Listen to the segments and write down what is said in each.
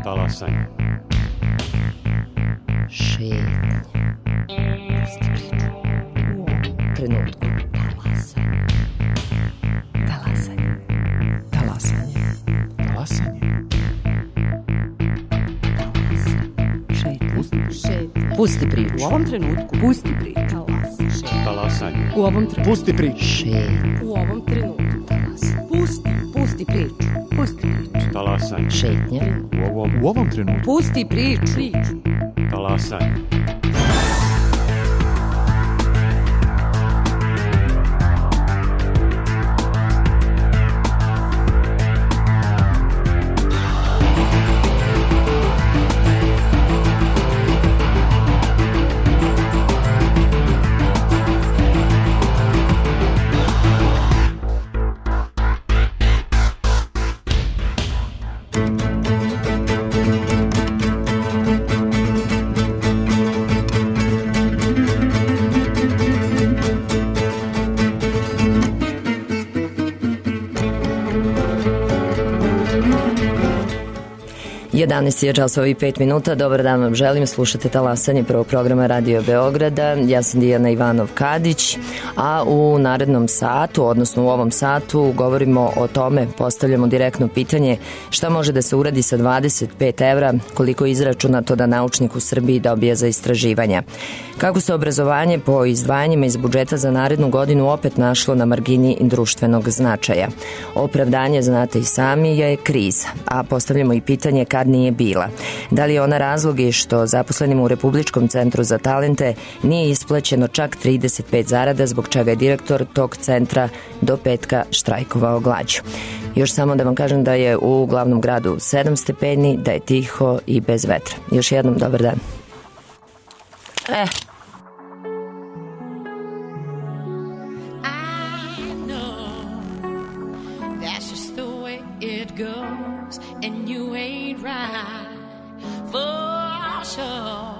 Talasanje. Šetnja. Pusti priču. U ovom trenutku. Talasanje. Talasanje. Talasanje. Pusti priču. U ovom trenutku. Pusti priču. Talasanje. U ovom trenutku. Pusti priču. Šetnja. U ovom trenutku. Pusti priču. Pusti priču. Talasanje. Šetnja. U ovom trenutku. Pusti priču. Talasanje. Je časova i 5 minuta. Dobar dan vam želim. Slušate Talasanje prvog programa Radio Beograda. Ja sam Dijana Ivanov-Kadić, a u narednom satu, odnosno u ovom satu, govorimo o tome, postavljamo direktno pitanje šta može da se uradi sa 25 evra, koliko je izračunato da naučnik u Srbiji dobije za istraživanja. Kako se obrazovanje po izdvajanjima iz budžeta za narednu godinu opet našlo na margini društvenog značaja. Opravdanje, znate i sami, je kriza, a postavljamo i pitanje kad nije bila. Da li je ona razlog i što zaposlenima u Republičkom centru za talente nije isplaćeno čak 35 zarada, zbog čega je direktor tog centra do petka štrajkovao glađu. Još samo da vam kažem da je u glavnom gradu 7 stepeni, da je tiho i bez vetra. Još jednom dobar dan. And you ain't right for sure.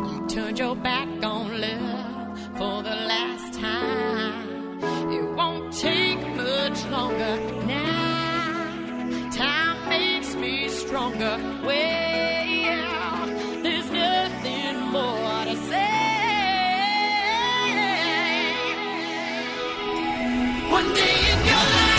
You turned your back on love for the last time. It won't take much longer now. Time makes me stronger. Well, there's nothing more to say. One day in your life,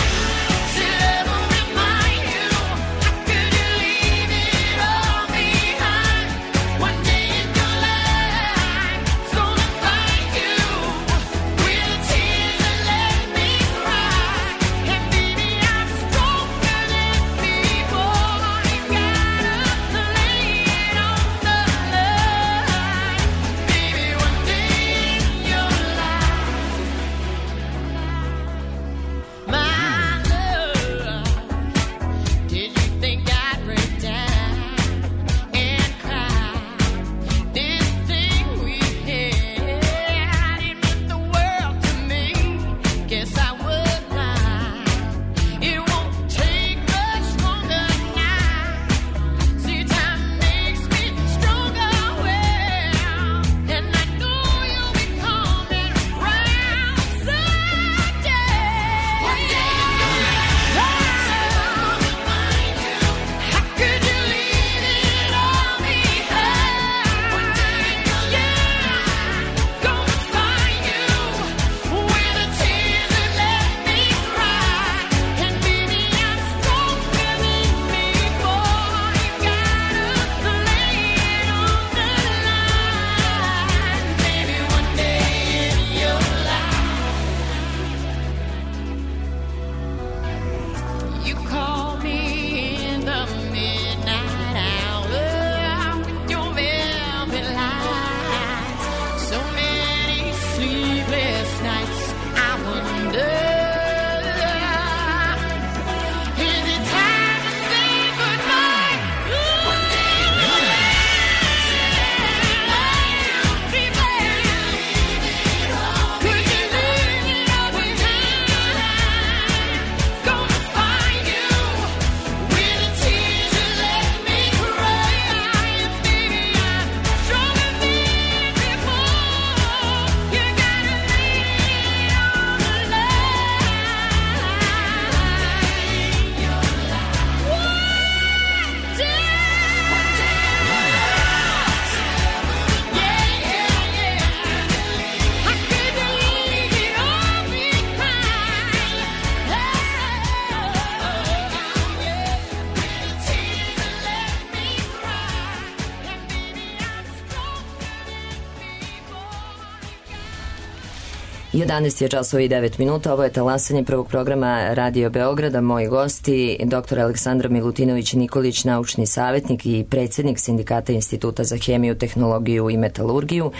11 je časova i 9 minuta, ovo je talasanje prvog programa Radio Beograda. Moji gosti, dr. Aleksandra Milutinović-Nikolić, naučni savjetnik i predsjednik Sindikata Instituta za hemiju, tehnologiju i metalurgiju,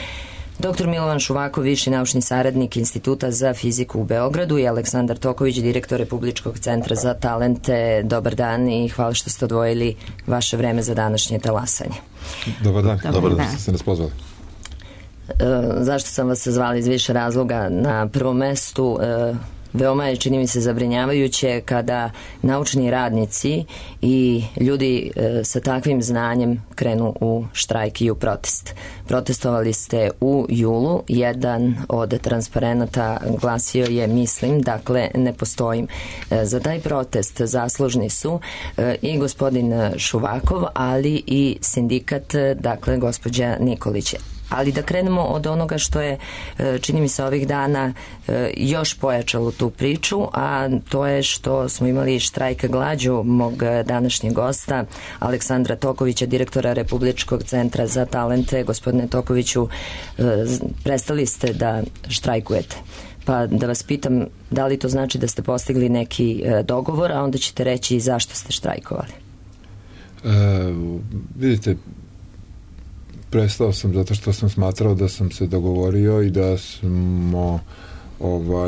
dr. Milovan Šuvakov, viši naučni saradnik Instituta za fiziku u Beogradu i Aleksandar Toković, direktor Republičkog centra za talente. Dobar dan i hvala što ste odvojili vaše vreme za današnje talasanje. Dobar dan, dobar dan što ste nas pozvali. Zašto sam vas zvali iz više razloga? Na prvom mestu veoma je, čini mi se, zabrinjavajuće kada naučni radnici i ljudi sa takvim znanjem krenu u štrajk i u protest. Protestovali ste u julu, jedan od transparenata glasio je mislim, dakle ne postojim. Za taj protest zaslužni su i gospodin Šuvakov, ali i sindikat, dakle gospođa Nikolić. Ali da krenemo od onoga što je, čini mi se, ovih dana još pojačalo tu priču, a to je što smo imali štrajk glađu mog današnjeg gosta, Aleksandra Tokovića, direktora Republičkog centra za talente. Gospodine Tokoviću, prestali ste da štrajkujete. Pa da vas pitam, da li to znači da ste postigli neki dogovor, a onda ćete reći zašto ste štrajkovali? Vidite, prestao sam zato što sam smatrao da sam se dogovorio i da smo,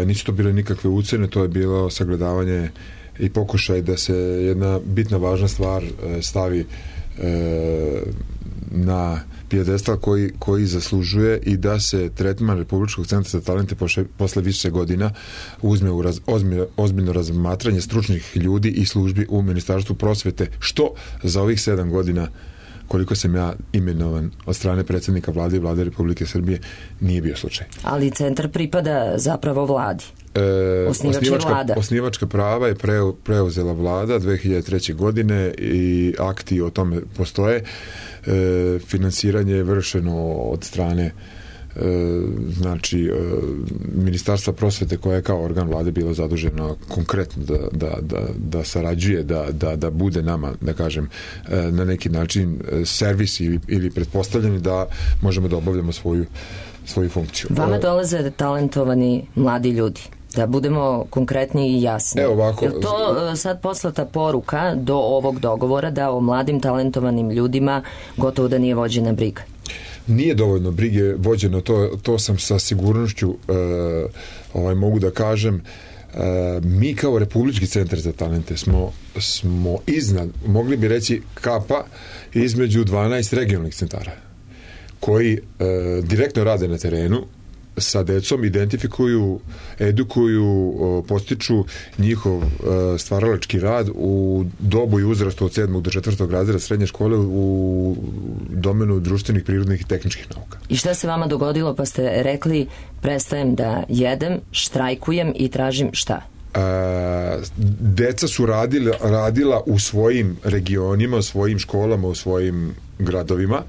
nisu to bile nikakve ucjene, to je bilo sagledavanje i pokušaj da se jedna bitna važna stvar stavi na pijedestal koji zaslužuje i da se tretman Republičkog centra za talente posle više godina uzme u ozbiljno razmatranje stručnih ljudi i službi u Ministarstvu prosvete, što za ovih 7 godina koliko sam ja imenovan od strane predsjednika vlade i vlade Republike Srbije nije bio slučaj. Ali centar pripada zapravo vladi. Osnivačka prava je preuzela vlada 2003. godine i akti o tome postoje. Finansiranje je vršeno od strane Ministarstva prosvete, koja je kao organ vlade bilo zaduženo konkretno da sarađuje, da bude nama, da kažem, na neki način servis ili pretpostavljeni da možemo da obavljamo svoju funkciju. Vama dolaze talentovani mladi ljudi. Da budemo konkretni i jasni. Evo ovako. Je to sad poslata poruka do ovog dogovora da o mladim talentovanim ljudima gotovo da nije vođena briga? Nije dovoljno brige vođeno, to sam sa sigurnošću mogu da kažem. Mi kao Republički centar za talente smo iznad, mogli bi reći, kapa između 12 regionalnih centara koji direktno rade na terenu sa decom, identifikuju, edukuju, postiču njihov stvaralački rad u dobu i uzrastu od 7. do 4. razreda srednje škole u domenu društvenih, prirodnih i tehničkih nauka. I šta se vama dogodilo pa ste rekli prestajem da jedem, štrajkujem i tražim šta? Deca su radila u svojim regionima, u svojim školama, u svojim gradovima,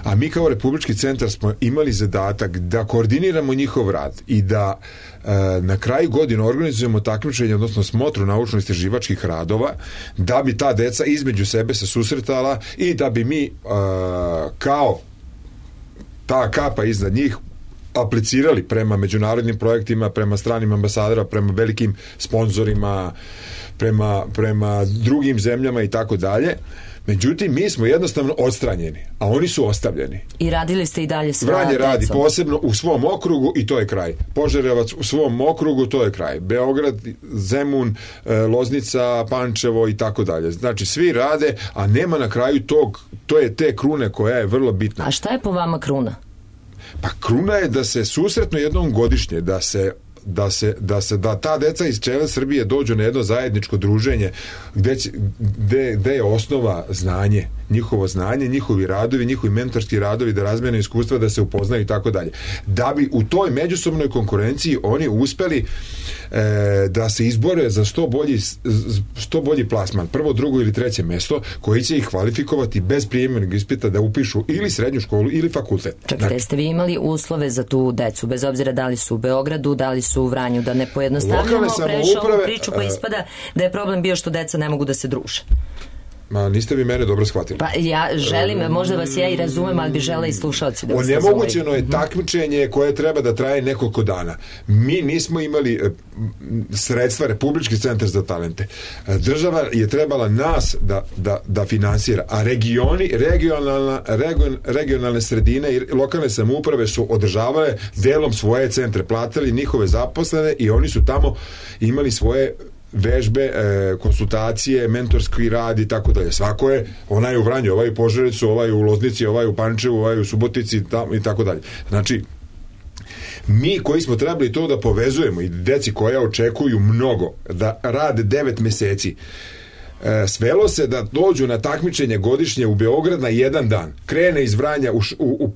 a mi kao Republički centar smo imali zadatak da koordiniramo njihov rad i da na kraju godine organizujemo takmičenje, odnosno smotru naučno-istraživačkih radova, da bi ta deca između sebe se susretala i da bi mi kao ta kapa iznad njih aplicirali prema međunarodnim projektima, prema stranim ambasadora, prema velikim sponzorima, prema drugim zemljama i tako dalje. Međutim, mi smo jednostavno odstranjeni, a oni su ostavljeni. I radili ste i dalje sa Vranje radi posebno u svom okrugu i to je kraj. Požarevac u svom okrugu, to je kraj. Beograd, Zemun, Loznica, Pančevo i tako dalje. Znači, svi rade, a nema na kraju to je te krune koja je vrlo bitna. A šta je po vama kruna? Pa kruna je da se susretno jednom godišnje, da ta deca iz cele Srbije dođu na jedno zajedničko druženje gde je osnova znanje, njihovo znanje, njihovi radovi, njihovi mentorski radovi, da razmene iskustva, da se upoznaju i tako dalje. Da bi u toj međusobnoj konkurenciji oni uspeli da se izbore za što bolji plasman, prvo, drugo ili treće mesto, koji će ih kvalifikovati bez prijemnog ispita da upišu ili srednju školu ili fakultet. Čekajte, ste vi imali uslove za tu decu, bez obzira da li su u Beogradu, da li su u Vranju, da ne pojednostavljamo previše ovu priču, pa ispada da je problem bio što deca ne mogu da se druže? Ma, niste vi mene dobro shvatili. Pa ja želim, možda vas ja i razumem, ali bi žela i slušalci da vas razumeju. Onemogućeno je takmičenje koje treba da traje nekoliko dana. Mi nismo imali sredstva, Republički centar za talente. Država je trebala nas da finansira, a regionalne sredine i lokalne samouprave su održavale delom svoje centre, platili njihove zaposlene i oni su tamo imali svoje vežbe, konsultacije, mentorski rad i tako dalje. Svako je, onaj u Vranju, ovaj u Požarevcu, ovaj u Loznici, ovaj u Pančevu, ovaj u Subotici i tako dalje. Znači, mi koji smo trebali to da povezujemo i deci koja očekuju mnogo, da rade 9 meseci, svelo se da dođu na takmičenje godišnje u Beograd na jedan dan. Krene iz Vranja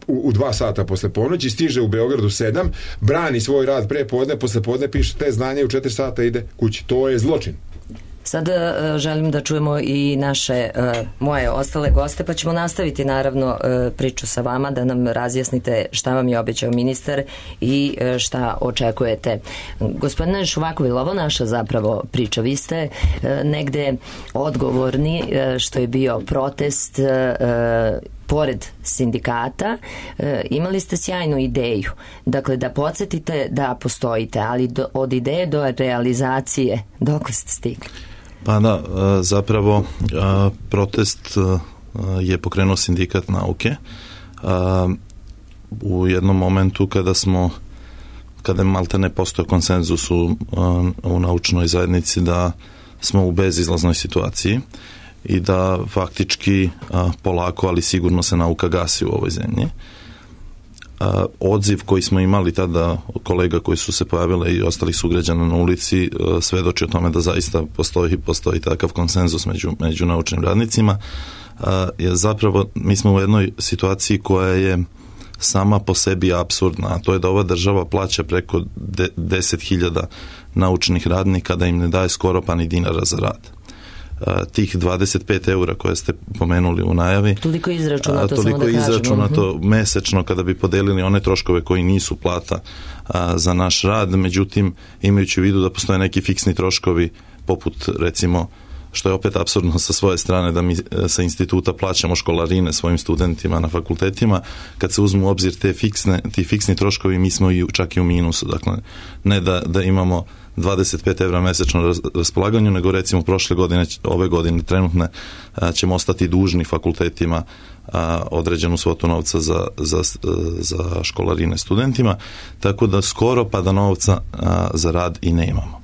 u 2 sata posle ponoći, stiže u Beogradu 7, brani svoj rad pre podne, posle podne piše te znanje u 4 sata ide kući. To je zločin. Sad želim da čujemo i naše, moje ostale goste, pa ćemo nastaviti naravno priču sa vama, da nam razjasnite šta vam je obećao ministar i šta očekujete. Gospodine Šuvakovi, ovo naša zapravo priča. Vi ste negde odgovorni što je bio protest pored sindikata, imali ste sjajnu ideju. Dakle, da podsjetite da postojite, ali od ideje do realizacije, dokle ste stigli? Pa da, zapravo protest je pokrenuo sindikat nauke u jednom momentu kada je maltene postojao konsenzus u naučnoj zajednici da smo u bezizlaznoj situaciji i da faktički polako, ali sigurno se nauka gasi u ovoj zemlji. Odziv koji smo imali tada kolega koji su se pojavile i ostalih sugrađana na ulici svedoči o tome da zaista postoji takav konsenzus među naučnim radnicima. Zapravo mi smo u jednoj situaciji koja je sama po sebi apsurdna, a to je da ova država plaća preko 10.000 naučnih radnika da im ne daje skoro pa ni dinara za rad. Tih 25 eura koje ste pomenuli u najavi, toliko izračunato mesečno kada bi podelili one troškove koji nisu plata za naš rad, međutim imajući u vidu da postoje neki fiksni troškovi poput recimo, što je opet apsurdno sa svoje strane, da mi sa instituta plaćamo školarine svojim studentima na fakultetima, kad se uzmu u obzir ti fiksni troškovi, mi smo čak i u minusu. Dakle, ne da imamo 25 evra mesečno na raspolaganju, nego recimo ove godine trenutne ćemo ostati dužni fakultetima određenu svotu novca za školarine studentima, tako da skoro pa da novca za rad i ne imamo.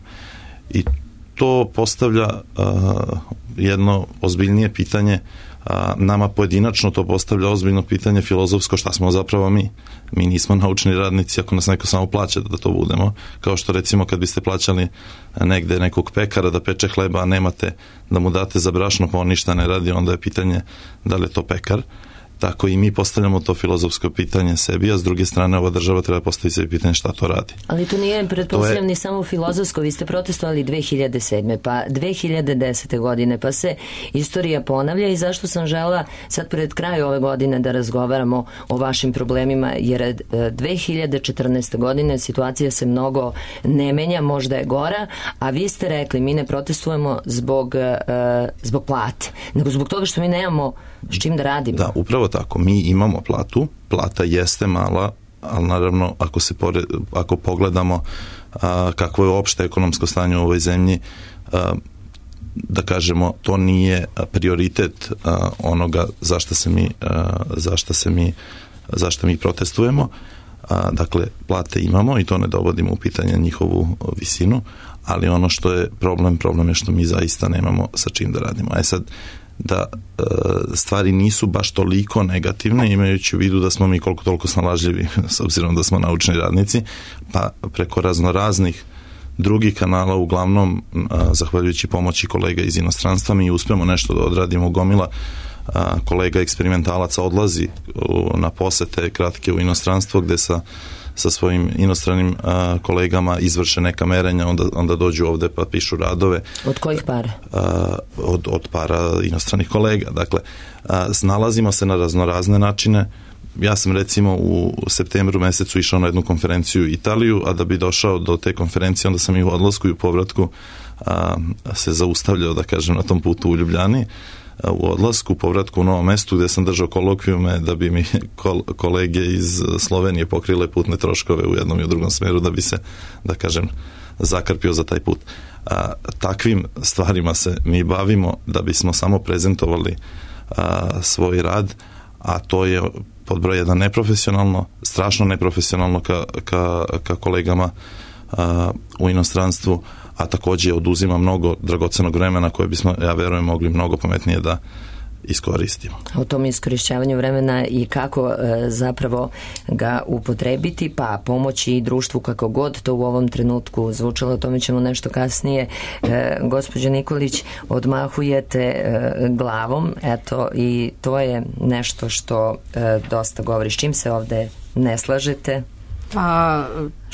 I to postavlja jedno ozbiljnije pitanje, nama pojedinačno to postavlja ozbiljno pitanje filozofsko, šta smo zapravo mi. Mi nismo naučni radnici ako nas neko samo plaća da to budemo, kao što recimo kad biste plaćali negde nekog pekara da peče hleba, a nemate da mu date za brašno pa on ništa ne radi, onda je pitanje da li je to pekar. Tako i mi postavljamo to filozofsko pitanje sebi, a s druge strane ova država treba postaviti sebi pitanje šta to radi. Ali to nije pretpostavljam ni samo filozofsko, vi ste protestovali 2007. pa 2010. godine, pa se istorija ponavlja i zašto sam žela sad pred kraju ove godine da razgovaramo o vašim problemima, jer 2014. godine situacija se mnogo ne menja, možda je gora, a vi ste rekli mi ne protestujemo zbog plate, nego zbog toga što mi nemamo s čim da radimo. Da, upravo tako. Mi imamo platu, plata jeste mala, ali naravno ako pogledamo kakvo je opšte ekonomsko stanje u ovoj zemlji, da kažemo, to nije prioritet onoga zašto mi protestujemo. Dakle, plate imamo i to ne dovodimo u pitanje njihovu visinu, ali ono što je problem je što mi zaista nemamo sa čim da radimo. Sad, da stvari nisu baš toliko negativne, imajući u vidu da smo mi koliko toliko snalažljivi s obzirom da smo naučni radnici, pa preko raznih drugih kanala, uglavnom zahvaljujući pomoći kolega iz inostranstva, mi uspemo nešto da odradimo. Gomila kolega eksperimentalaca odlazi na posete kratke u inostranstvo gde sa svojim inostranim kolegama izvrše neka merenja, onda dođu ovde pa pišu radove. Od kojih para? Od para inostranih kolega. Dakle, snalazimo se na raznorazne načine. Ja sam recimo u septembru mesecu išao na jednu konferenciju u Italiju, a da bi došao do te konferencije, onda sam i u odlasku i u povratku se zaustavljao, da kažem, na tom putu u Ljubljani. u odlasku, povratku u Novom Mestu gdje sam držao kolokvijume da bi mi kolege iz Slovenije pokrile putne troškove u jednom i u drugom smeru da bi se, da kažem, zakrpio za taj put. Takvim stvarima se mi bavimo da bismo samo prezentovali svoj rad, a to je pod broj jedan neprofesionalno, strašno neprofesionalno ka kolegama u inostranstvu, a također oduzima mnogo dragocenog vremena koje bismo, ja verujem, mogli mnogo pametnije da iskoristimo. O tom iskorišćavanju vremena i kako zapravo ga upotrebiti, pa pomoći i društvu kako god to u ovom trenutku zvučalo, o tome ćemo nešto kasnije. Gospođo Nikolić, odmahujete glavom, eto, i to je nešto što dosta govori. S čim se ovde ne slažete? Pa,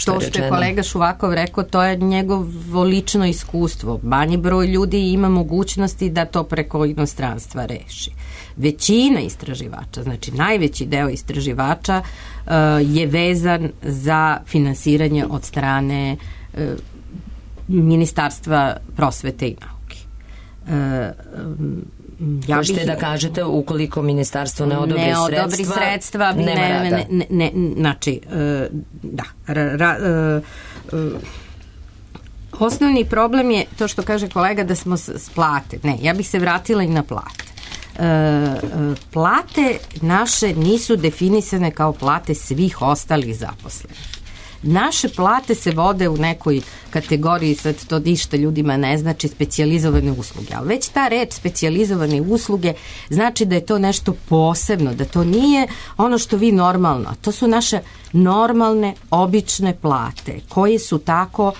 to što je kolega Šuvakov rekao, to je njegovo lično iskustvo. Manji broj ljudi ima mogućnosti da to preko inostranstva reši. Većina istraživača, znači najveći deo istraživača je vezan za finansiranje od strane Ministarstva prosvete i nauke. Možete da kažete, ukoliko ministarstvo ne odobri sredstva, znači, da. Osnovni problem je to što kaže kolega da smo s plate. Ne, ja bih se vratila i na plate. Plate naše nisu definisane kao plate svih ostalih zaposlenih. Naše plate se vode u nekoj kategoriji, sad to ništa ljudima ne znači, specijalizovane usluge. Ali već ta reč specijalizovane usluge znači da je to nešto posebno, da to nije ono što vi normalno. To su naše normalne, obične plate koje su tako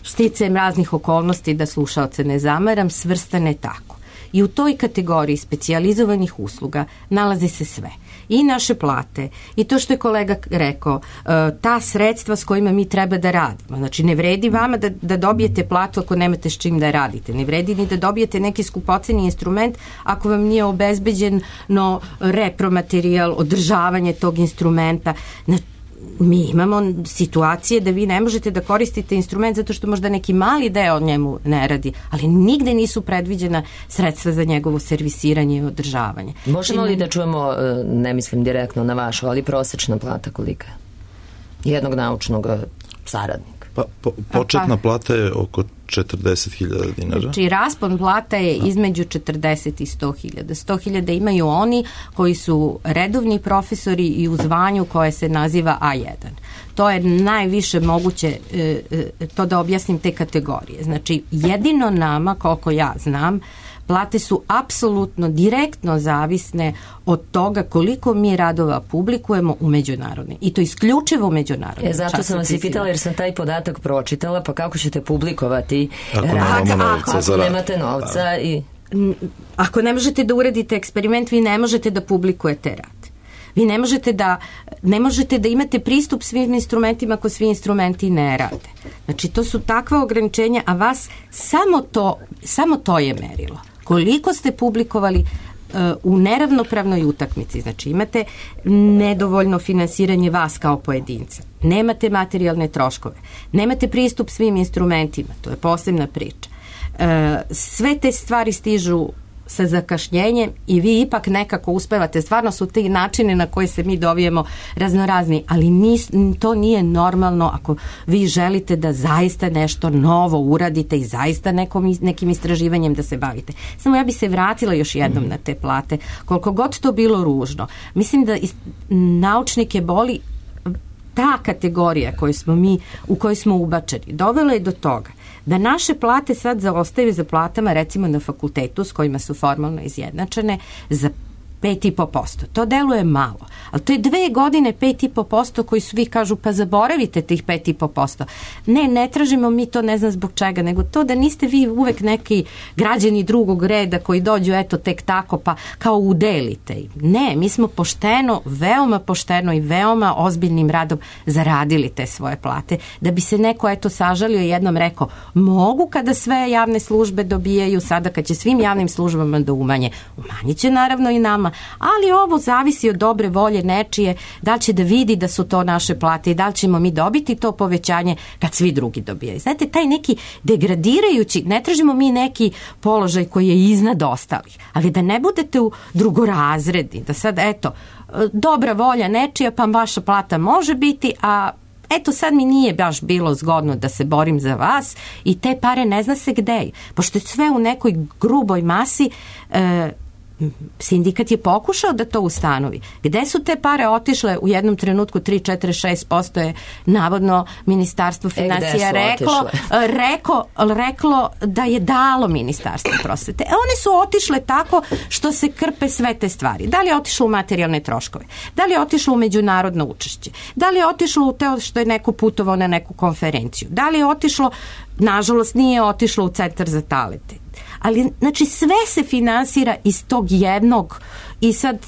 sticajem raznih okolnosti, da slušaoce ne zamaram, svrstane tako. I u toj kategoriji specijalizovanih usluga nalazi se sve. I naše plate, i to što je kolega rekao, ta sredstva s kojima mi treba da radimo. Znači, ne vredi vama da dobijete platu ako nemate s čim da radite. Ne vredi ni da dobijete neki skupoceni instrument ako vam nije obezbeđeno repromaterijal, održavanje tog instrumenta. Mi imamo situacije da vi ne možete da koristite instrument zato što možda neki mali deo njemu ne radi, ali nigde nisu predviđena sredstva za njegovo servisiranje i održavanje. Možemo li da čujemo, ne mislim direktno na vašu, ali prosečna plata kolika je? Jednog naučnog saradnika. Početna plata je oko 40.000 dinara. Znači, raspon plata je između 40 i 100.000. 100.000 imaju oni koji su redovni profesori i u zvanju koje se naziva A1. To je najviše moguće, to da objasnim te kategorije. Znači, jedino nama, koliko ja znam, plate su apsolutno direktno zavisne od toga koliko mi radova publikujemo u međunarodnim. I to isključivo međunarodnim. Zato sam vas i pitala jer sam taj podatak pročitala, pa kako ćete publikovati ako nemate novca i... Ako ne možete da uradite eksperiment, vi ne možete da publikujete rad. Vi ne možete da imate pristup svim instrumentima ako svi instrumenti ne rade. Znači, to su takva ograničenja, a vas samo to je merilo. Koliko ste publikovali u neravnopravnoj utakmici, znači imate nedovoljno finansiranje vas kao pojedinca, nemate materijalne troškove, nemate pristup svim instrumentima, to je posebna priča. Sve te stvari stižu sa zakašnjenjem i vi ipak nekako uspevate. Stvarno su ti načine na koje se mi dovijemo raznorazni, ali to nije normalno ako vi želite da zaista nešto novo uradite i zaista nekim istraživanjem da se bavite. Samo ja bi se vratila još jednom na te plate. Koliko god to bilo ružno, mislim da naučnike boli ta kategorija u kojoj smo ubačeni. Dovelo je do toga da naše plate sad zaostaju za platama recimo na fakultetu s kojima su formalno izjednačene za 5,5%. To deluje malo, ali to je 2 godine 5,5% koji svi kažu pa zaboravite tih 5,5%. Ne tražimo mi to, ne znam zbog čega, nego to da niste vi uvek neki građani drugog reda koji dođu eto tek tako pa kao udelite im. Ne, mi smo veoma pošteno i veoma ozbiljnim radom zaradili te svoje plate, da bi se neko eto sažalio i jednom rekao mogu kada sve javne službe dobijaju, sada kad će svim javnim službama da umanjit će naravno i nama, platama, ali ovo zavisi od dobre volje nečije, da li će da vidi da su to naše plate i da li ćemo mi dobiti to povećanje kad svi drugi dobijaju. Znate, taj neki degradirajući, ne tražimo mi neki položaj koji je iznad ostalih, ali da ne budete u drugorazredni, da sad, eto, dobra volja nečija, pa vaša plata može biti, a eto sad mi nije baš bilo zgodno da se borim za vas i te pare ne zna se gde je. Pošto je sve u nekoj gruboj masi, sindikat je pokušao da to ustanovi. Gde su te pare otišle u jednom trenutku 3,46% je navodno Ministarstvo finansija reklo da je dalo Ministarstvo prosvete. One su otišle tako što se krpe sve te stvari. Da li je otišlo u materijalne troškove? Da li je otišlo u međunarodno učešće? Da li je otišlo u to što je neko putovao na neku konferenciju? Da li je otišlo, nažalost nije otišlo u Centar za talente. Ali, znači, sve se finansira iz tog jednog i sad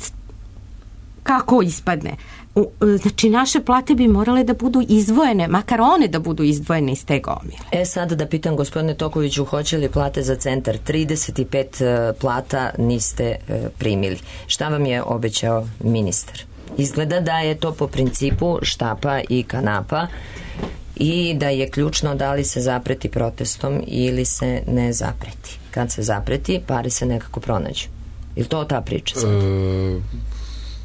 kako ispadne? Znači, naše plate bi morale da budu izdvojene, makar one da budu izdvojene iz te gomile. Sad da pitam gospodine Tokoviću, hoće li plate za centar? 35 plata niste primili. Šta vam je obećao ministar? Izgleda da je to po principu štapa i kanapa i da je ključno da li se zapreti protestom ili se ne zapreti. Kad se zapreti, pare se nekako pronađu. Je li to ta priča sad?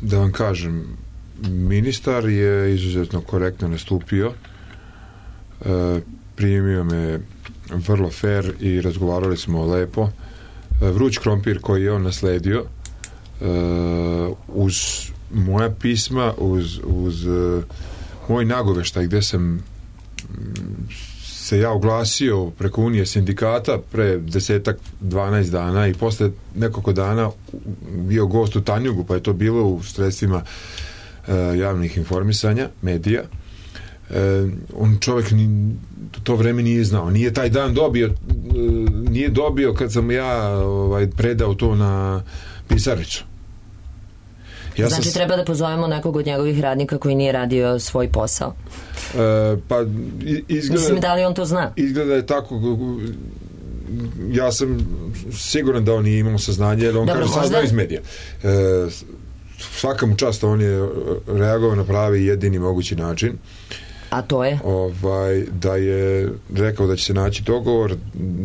Da vam kažem, ministar je izuzetno korektno nastupio, primio me vrlo fair i razgovarali smo lepo. Vruć krompir koji je on nasledio, uz moja pisma, uz moj nagoveštaj gde sam se ja oglasio preko Unije sindikata pre 10-12 dana i posle nekoliko dana bio gost u Tanjugu, pa je to bilo u sredstvima javnih informisanja, medija. On čovjek to vreme nije znao. Nije taj dan dobio kad sam ja predao to na pisarnicu. Znači treba da pozovemo nekog od njegovih radnika koji nije radio svoj posao. Pa izgleda... Mislim, da li on to zna? Izgleda je tako... Ja sam siguran da on nije imao saznanje, jer on kaže saznao iz medija. Svaka mu čast, on je reagovao na pravi jedini mogući način. A to je? Da je rekao da će se naći dogovor,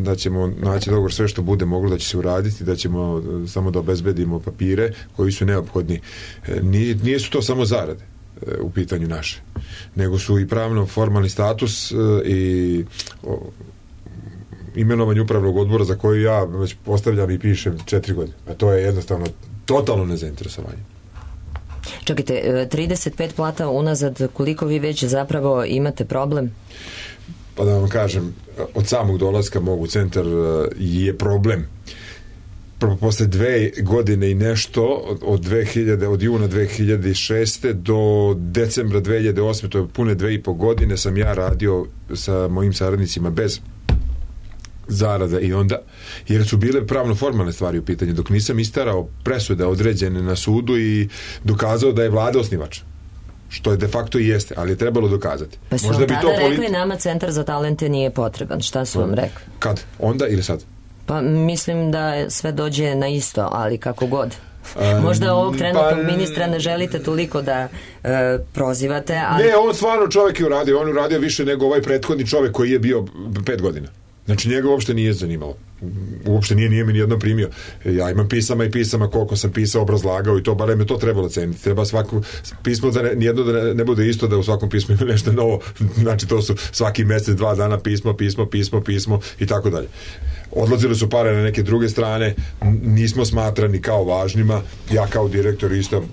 da ćemo naći dogovor sve što bude moglo da će se uraditi, da ćemo samo da obezbedimo papire koji su neophodni. Nije su to samo zarade u pitanju naše, nego su i pravno formalni status i imenovanje upravnog odbora za koji ja već postavljam i pišem 4 godine. A to je jednostavno totalno nezainteresovanje. Čekajte, 35 plata unazad, koliko vi već zapravo imate problem? Pa da vam kažem, od samog dolaska mog u centar je problem. Posle 2 godine i nešto, od juna 2006. do decembra 2008. to je pune 2,5 godine sam ja radio sa mojim saradnicima bez zarada i onda, jer su bile pravno formalne stvari u pitanju, dok nisam istarao presude određene na sudu i dokazao da je vlada osnivač, što je de facto i jeste, ali je trebalo dokazati. Pa su vam tada rekli nama Centar za talente nije potreban, šta su vam rekli? Kad? Onda ili sad? Pa mislim da sve dođe na isto, ali kako god. Možda ovog trenutnog ministra ne želite toliko da prozivate, ali... Ne, on stvarno čovjek je uradio, on uradio više nego ovaj prethodni čovjek koji je bio 5 godina. Znači njega uopšte nije zanimalo. Uopšte nije mi nijedno primio. Ja imam pisama koliko sam pisao, obrazlagao i to, barem je to trebalo ceniti. Treba svako pismo nijedno da ne bude isto, da u svakom pismu ima nešto novo. Znači to su svaki mjesec 2 dana pismo i tako dalje. Odlazile su pare na neke druge strane, nismo smatrani kao važnima, ja kao direktor isto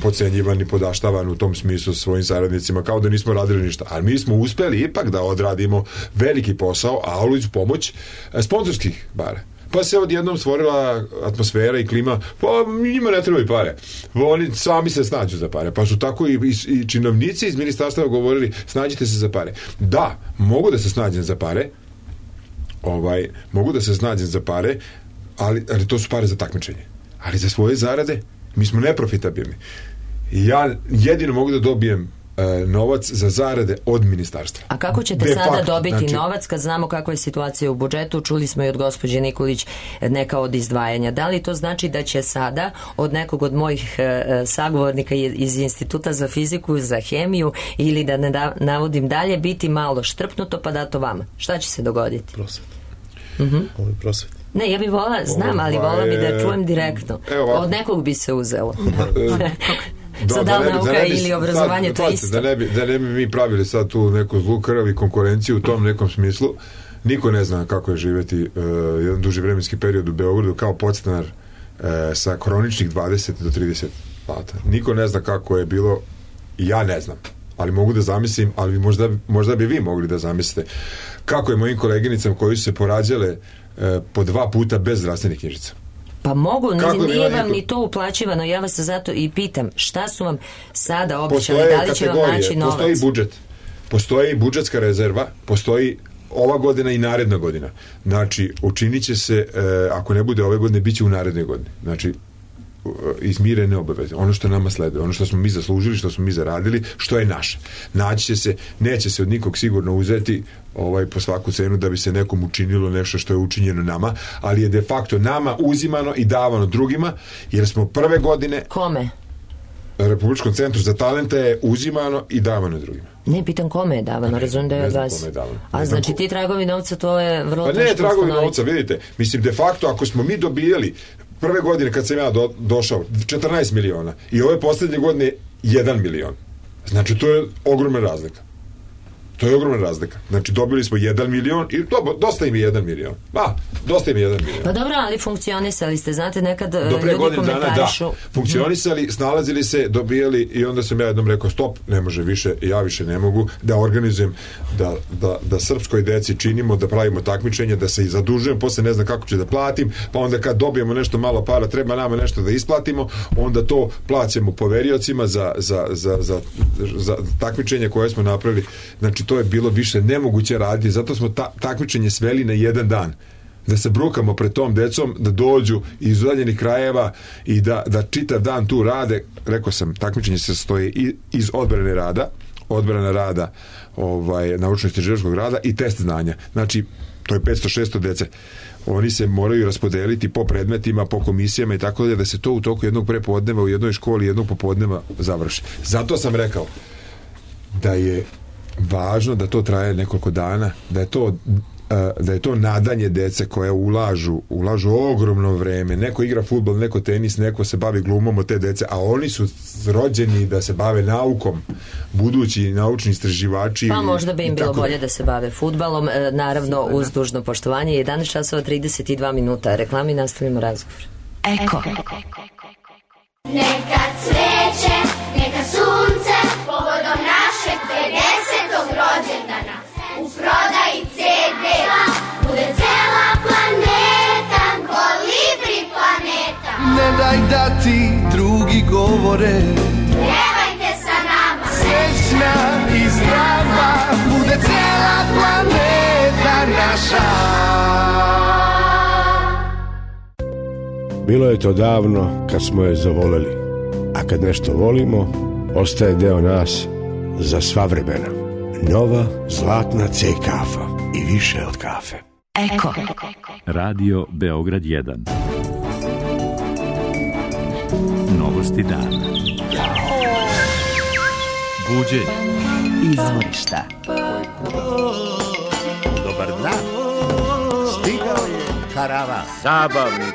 podcenjivan i podaštavan u tom smislu svojim saradnicima, kao da nismo radili ništa. Ali mi smo uspeli ipak da odradimo veliki posao, a uz pomoć sponzorskih bara. Pa se odjednom stvorila atmosfera i klima, pa njima ne trebaju pare. Oni sami se snađu za pare. Pa su tako i činovnici iz ministarstva govorili, snađite se za pare. Da, mogu da se snađem za pare, mogu da se snađem za pare, ali to su pare za takmičenje. Ali za svoje zarade mi smo neprofitabilni. Ja jedino mogu da dobijem novac za zarade od ministarstva. A kako ćete De sada facto, dobiti znači, novac kad znamo kakva je situacija u budžetu? Čuli smo i od gospođe Nikolić neka od izdvajanja. Da li to znači da će sada od nekog od mojih sagovornika iz Instituta za fiziku, za hemiju ili da ne navodim dalje, biti malo štrpnuto pa dato vama? Šta će se dogoditi? Prosveta. Prosveta. Ne, ja bih volila, znam, ali volila bi da čujem direktno. Od nekog bi se uzelo. Za da li nauka ili obrazovanje, to isto. Da ne bi mi pravili sad tu neku zlu krv i konkurenciju u tom nekom smislu. Niko ne zna kako je živjeti jedan duži vremenski period u Beogradu kao podstanar sa kroničnih 20 do 30 plata. Niko ne zna kako je bilo, ja ne znam, ali mogu da zamislim, ali možda bi vi mogli da zamislite kako je mojim koleginicama koji su se porađale po 2 puta bez zdravstvenih knjižica. Pa mogu, nije vam ni to uplaćivano, ja vas zato i pitam, šta su vam sada obećali, da li će vam naći novac? Postoji budžet, postoji budžetska rezerva, postoji ova godina i naredna godina. Znači, učinit će se, ako ne bude ove godine, bit će u narednoj godini. Znači, izmirene obaveze. Ono što nama sleduje, ono što smo mi zaslužili, što smo mi zaradili, što je naše. Naći će se, neće se od nikog sigurno uzeti po svaku cenu da bi se nekom učinilo nešto što je učinjeno nama, ali je de facto nama uzimano i davano drugima, jer smo prve godine... Kome? Republičkom centru za talente je uzimano i davano drugima. Ne, pitam kome je davano, razumijem da je od vas. A znači ti tragovi novca, to je vrlo teško ustanoviti. Pa ne, tragovi novca, vidite, mislim, de facto, ako smo mi dobijali prve godine kad sam ja došao 14 miliona i ove posljednje godine 1 milion. Znači, to je ogromna razlika. To je ogromna razlika. Znači, dobili smo 1 milion i dosta im je 1 milion. Dosta im je 1 milion. Pa dobro, ali funkcionisali ste, znate, nekad ljudi komentarišu. Da, funkcionisali, snalazili se, dobijali i onda sam ja jednom rekao, stop, ne može više, ja više ne mogu da organizujem, da srpskoj deci činimo, da pravimo takmičenje, da se i zadužujem, posle ne znam kako ću da platim, pa onda kad dobijemo nešto malo para, treba nama nešto da isplatimo, onda to plaćamo poveriocima za takmičenje koje smo napravili. Znači, to je bilo više nemoguće raditi, zato smo takmičenje sveli na jedan dan. Da se brukamo pred tom decom, da dođu iz udaljenih krajeva i da čitav dan tu rade. Rekao sam, takmičenje se sastoji iz odbrane rada, naučno-istraživačkog rada i test znanja. Znači, to je 500-600 dece. Oni se moraju raspodeliti po predmetima, po komisijama i tako da se to u toku jednog prepodneva u jednoj školi, jednog popodneva završi. Zato sam rekao da je važno da to traje nekoliko dana, da je to nadanje dece koje ulažu ogromno vreme. Neko igra fudbal, neko tenis, neko se bavi glumom od te dece, a oni su rođeni da se bave naukom, budući naučni istraživači. Pa možda bi im bilo bolje da se bave fudbalom, naravno uz dužno poštovanje. 11 časova 32 minuta. Reklami, nastavimo razgovor. Eko. Neka cveće, neka sunce, povodom našeg 50. rođendana. U prodaji CD-a bude cela planeta, Kolibri planeta. Ne daj da ti drugi govore, pjevajte sa nama. Srećna i zdrava bude cela planeta naša. Bilo je to davno kad smo je zavoleli, a kad nešto volimo, ostaje deo nas za sva vremena. Nova zlatna C kafa i više od kafe. Eko. Radio Beograd 1. Novosti dana. Buđenje. Izvorišta. Dobar dan. Stigao je karavan. Zabavnik.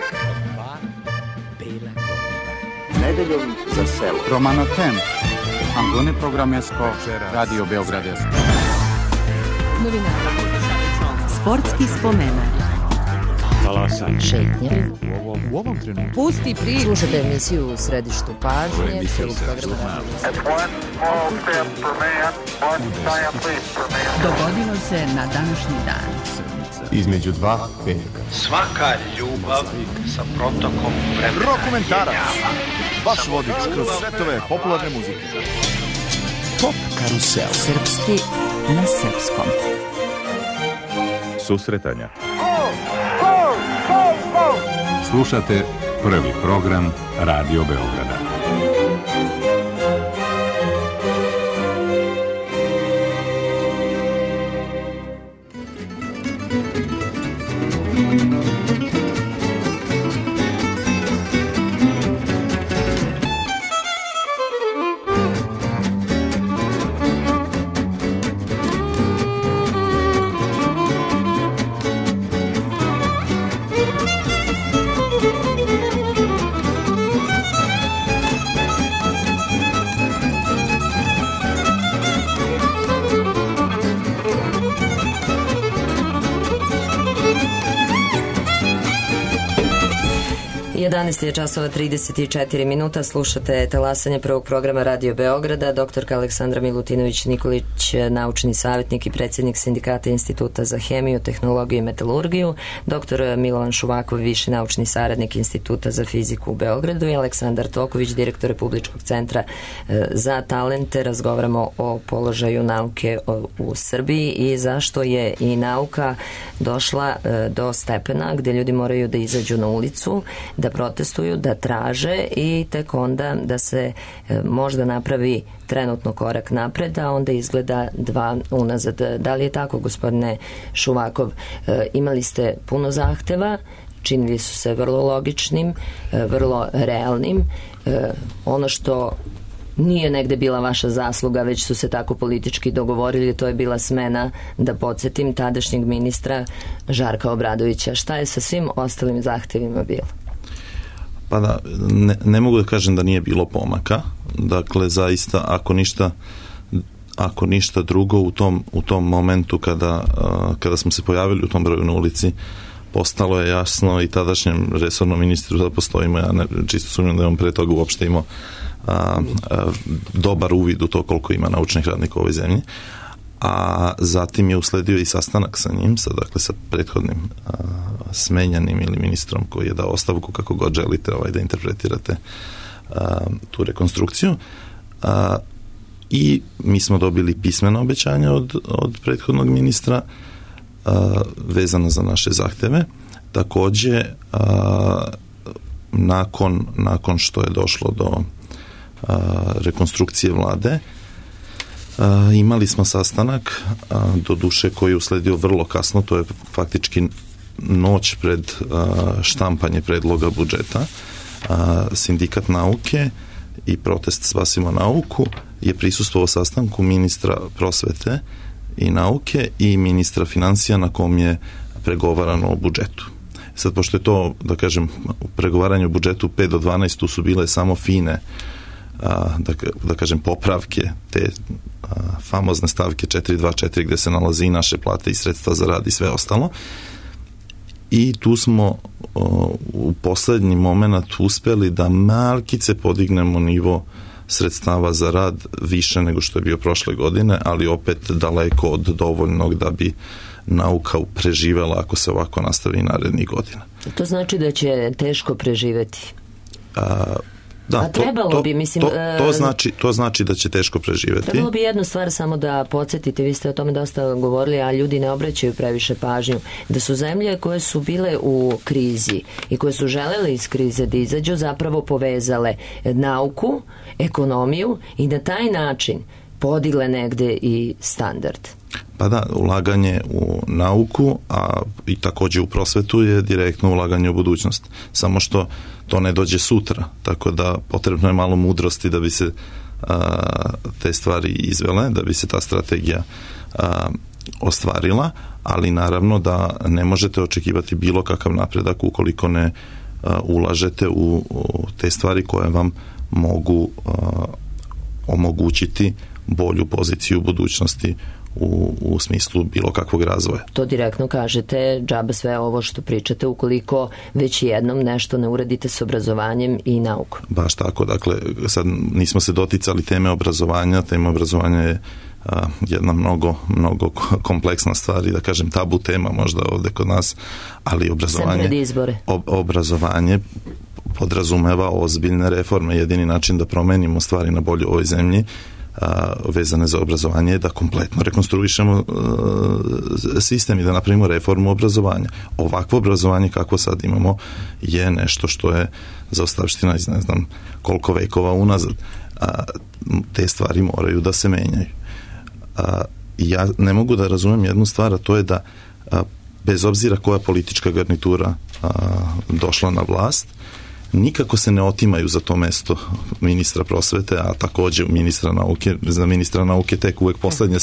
Nedeljom za selo. Romano Tem. Antone Programesko, Radio Beogradesko. Novinara. Sportski spomenar. Talasanje. Šetnje. U ovom trenutku. Pusti priču. Slušajte emisiju u središtu pažnje. Dogodilo se na današnji dan. Između dva veka. Svaka ljubav sa protokom vremena. Rokomentarac. Vaš vodič kroz svetove popularne muzike. Pop karusel. Srpski na srpskom. Susretanja. Slušate prvi program Radio Beograda. 11 je časova 34 minuta, slušate talasanje prvog programa Radio Beograda. Doktorka Aleksandra Milutinović-Nikolić, naučni savjetnik i predsjednik Sindikata Instituta za hemiju, tehnologiju i metalurgiju, doktor Milovan Šuvakov, viši naučni saradnik Instituta za fiziku u Beogradu i Aleksandar Toković, direktor Republičkog centra za talente. Razgovaramo o položaju nauke u Srbiji i zašto je i nauka došla do stepena gdje ljudi moraju da izađu na ulicu, da protestuju, da traže i tek onda da se možda napravi trenutno korak napred, a onda izgleda dva unazad. Da li je tako, gospodine Šuvakov? Imali ste puno zahteva, činili su se vrlo logičnim, vrlo realnim. Ono što nije negde bila vaša zasluga, već su se tako politički dogovorili, to je bila smena, da podsjetim, tadašnjeg ministra Žarka Obradovića. Šta je sa svim ostalim zahtevima bilo? Pa da, ne mogu da kažem da nije bilo pomaka. Dakle, zaista, ako ništa drugo, u tom momentu kada smo se pojavili u tom broju na ulici, postalo je jasno i tadašnjem resornom ministru da postojimo, ja čisto sumnjam da on pre toga uopšte imao dobar uvid u to koliko ima naučnih radnika u ovoj zemlji, a zatim je usledio i sastanak sa njim, sa prethodnim smenjanim ili ministrom koji je dao ostavku, kako god želite da interpretirate tu rekonstrukciju, i mi smo dobili pismeno obećanje od prethodnog ministra vezano za naše zahteve. Takođe, nakon što je došlo do rekonstrukcije vlade, imali smo sastanak, do duše koji je usledio vrlo kasno, to je faktički noć pred štampanje predloga budžeta. Sindikat nauke i protest Spasimo nauku je prisustvovao sastanku ministra prosvete i nauke i ministra financija na kom je pregovarano o budžetu. Sad, pošto je to, da kažem, u pregovaranju o budžetu 5 do 12, tu su bile samo fine, da kažem, popravke te famozne stavke 424 gde se nalazi i naše plate i sredstva za rad i sve ostalo. I tu smo u poslednji moment uspeli da malkice podignemo nivo sredstava za rad više nego što je bio prošle godine, ali opet daleko od dovoljnog da bi nauka preživela ako se ovako nastavi narednih godina. To znači da će teško preživeti? Da, a trebalo bi, mislim... To znači da će teško preživeti. Trebalo bi jednu stvar samo da podsjetite, vi ste o tome dosta govorili, a ljudi ne obraćaju previše pažnju, da su zemlje koje su bile u krizi i koje su želele iz krize da izađu, zapravo povezale nauku, ekonomiju i na taj način podigle negde i standard. Pa da, ulaganje u nauku, a i takođe u prosvetu je direktno ulaganje u budućnost. Samo što to ne dođe sutra, tako da potrebno je malo mudrosti da bi se te stvari izvele, da bi se ta strategija ostvarila, ali naravno da ne možete očekivati bilo kakav napredak ukoliko ne ulažete u te stvari koje vam mogu omogućiti bolju poziciju u budućnosti u smislu bilo kakvog razvoja. To direktno kažete, džaba sve ovo što pričate ukoliko već jednom nešto ne uradite s obrazovanjem i naukom. Baš tako, dakle, sad nismo se doticali teme obrazovanja, tema obrazovanja je jedna mnogo kompleksna stvar i da kažem tabu tema možda ovde kod nas, ali obrazovanje podrazumeva ozbiljne reforme. Jedini način da promenimo stvari na bolje u ovoj zemlji vezane za obrazovanje je da kompletno rekonstruišemo sistem i da napravimo reformu obrazovanja. Ovakvo obrazovanje kako sad imamo je nešto što je zaostavština iz ne znam koliko vekova unazad. Te stvari moraju da se menjaju. Ja ne mogu da razumem jednu stvar, a to je da bez obzira koja politička garnitura došla na vlast, nikako se ne otimaju za to mesto ministra prosvete, a takođe ministra nauke. Za ministra nauke tek uvek poslednje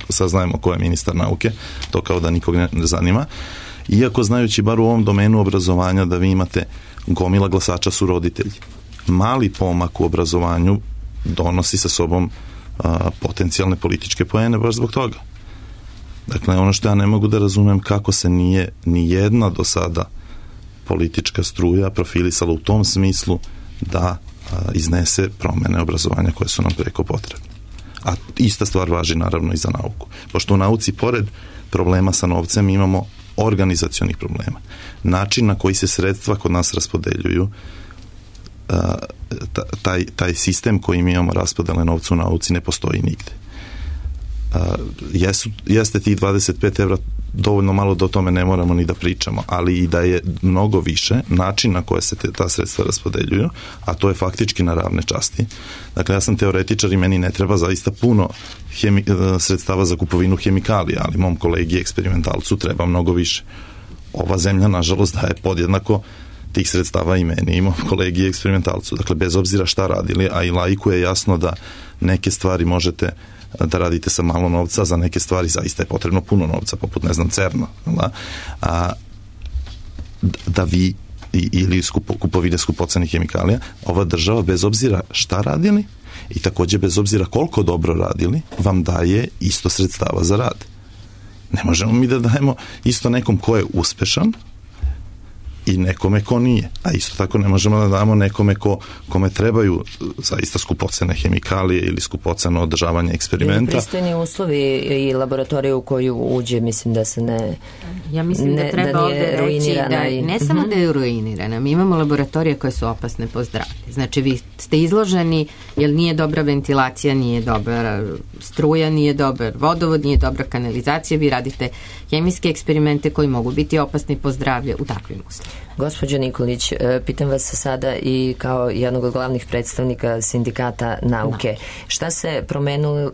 saznajemo ko je ministar nauke, to kao da nikog ne zanima. Iako znajući bar u ovom domenu obrazovanja da vi imate gomila glasača su roditelji. Mali pomak u obrazovanju donosi sa sobom potencijalne političke poene baš zbog toga. Dakle, ono što ja ne mogu da razumem kako se nije ni jedna do sada politička struja profilisala u tom smislu da iznese promene obrazovanja koje su nam preko potrebne. A ista stvar važi naravno i za nauku. Pošto u nauci, pored problema sa novcem, imamo organizacionih problema. Način na koji se sredstva kod nas raspodeljuju, taj sistem koji mi imamo raspodele novca u nauci ne postoji nigde. Jeste tih 25 evra dovoljno malo da o tome ne moramo ni da pričamo, ali i da je mnogo više način na koje se ta sredstva raspodeljuju, a to je faktički na ravne časti. Dakle, ja sam teoretičar i meni ne treba zaista puno sredstava za kupovinu hemikalija, ali mom kolegi eksperimentalcu treba mnogo više. Ova zemlja, nažalost, daje podjednako tih sredstava i meni i mom kolegi eksperimentalcu. Dakle, bez obzira šta radili, a i laiku je jasno da neke stvari možete da radite sa malo novca, za neke stvari zaista je potrebno puno novca, poput, ne znam, CERN-a, da vi ili kupovine skupocenih hemikalija, ova država, bez obzira šta radili i takođe bez obzira koliko dobro radili, vam daje isto sredstava za rad. Ne možemo mi da dajemo isto nekom ko je uspešan i nekome ko nije. A isto tako ne možemo da damo nekome kome trebaju zaista skupocene hemikalije ili skupoceno održavanje eksperimenta. Ili pristojni uslovi i laboratorije u koju uđe, mislim da se ne... Ja mislim da treba ovde reći da ne samo da je ruinirana, mi imamo laboratorije koje su opasne po zdravlje. Znači vi ste izloženi, jer nije dobra ventilacija, nije dobra struja, nije dobar vodovod, nije dobra kanalizacija, vi radite hemijske eksperimente koji mogu biti opasni po zdravlje u takvim uslovima. Gospođo Nikolić, pitam vas sada i kao jednog od glavnih predstavnika sindikata nauke. Šta se